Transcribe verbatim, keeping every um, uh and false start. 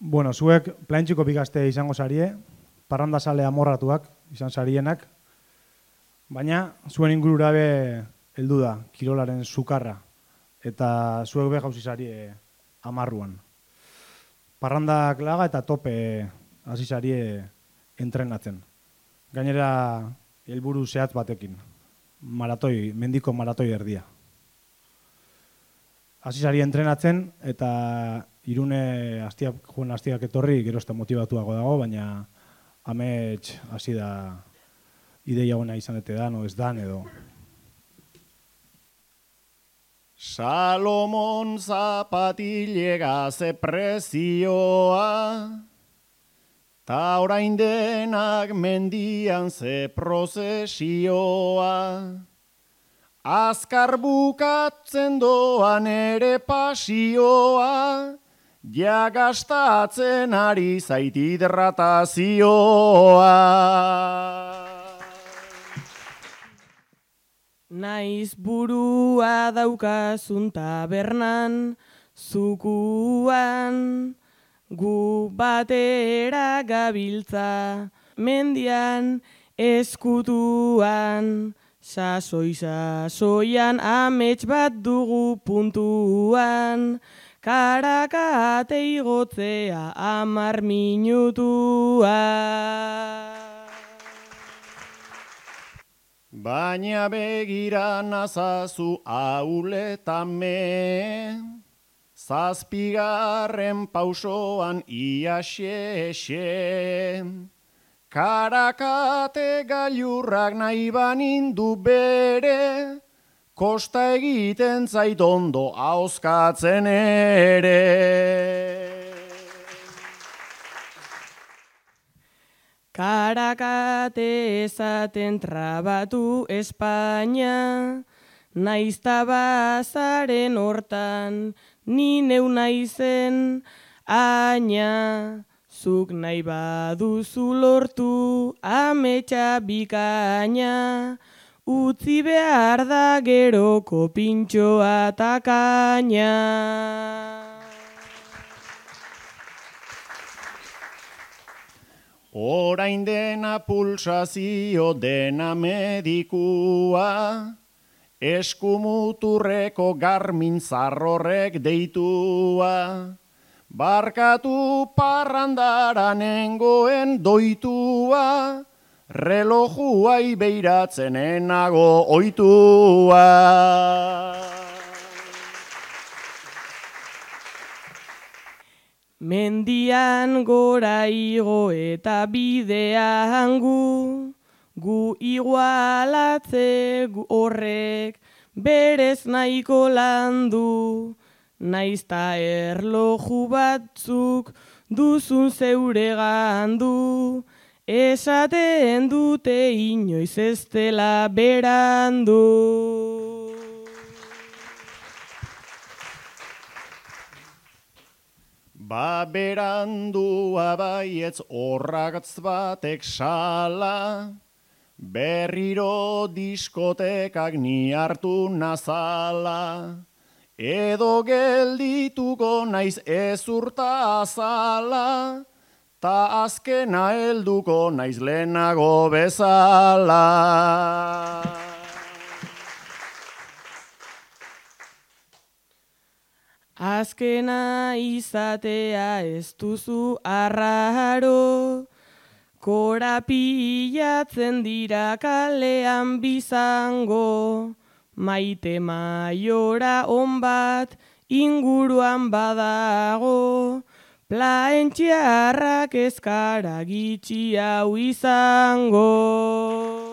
Bueno, zuek plantxiko bigazte izango zarie, parrandazale amorratuak izan zarienak, baina zuen ingurura be heldu da, kirolaren sukarra, eta zuek be jauzi zarie amarruan. Parrandak laga eta tope hasi zarie entrenatzen. Gainera, helburu zehatz batekin, maratoi, mendiko maratoi erdia. Hasi zarie entrenatzen eta Irune astiak, joan astiak etorri gero ezta motibatuago dago, baina amets hasi da ideia ona izan ete dan, o ez dan edo. Salomon zapatilega ze prezioa, ta orain denak mendian ze prozesioa. Azkar bukatzen doan ere pasioa, ja gastatzen ari zait hidratazioa. Naiz burua daukazun tabernan, zukuan, gu batera gabiltza, mendian eskutuan, sasoi sasoian amets bat dugu puntuan, karakate igotzea amar minutua. Baina begira nazazu auletame, zazpigarren pausoan ia xe-xe. Karakate gailurrak nahi banindu bere, kosta egiten zait ondo ahoskatzen ere. Karakate ezaten trabatu Espainia, naizta bazaren hortan, ni neu naizen aina. Zuk nahi baduzu lortu ametsa bikaina, utzi behar da geroko pintxoa takaina. Orain dena pulsazio dena medikua, eskumuturreko Garmin zarrorrek deitua. Barkatu parrandara nengoen doitua, relojua ibeiratzen enago oitua. Mendian gora igo eta bidean gu, gu igualatze horrek berez nahiko landu. Naizta erloju batzuk duzun zeure gandu, esaten dute inoiz ez dela berandu. Ba berandua baietz horragatz batek sala, berriro diskotekak ni hartu nazala. Edo geldituko naiz ezurta azala, ta azkena helduko naiz lehenago bezala. Azkena izatea ez duzu arraro, korapilatzen dira kalean bizango. Maite maiora on bat inguruan badago, plaentxiarrak ezkara gitxi hau izango.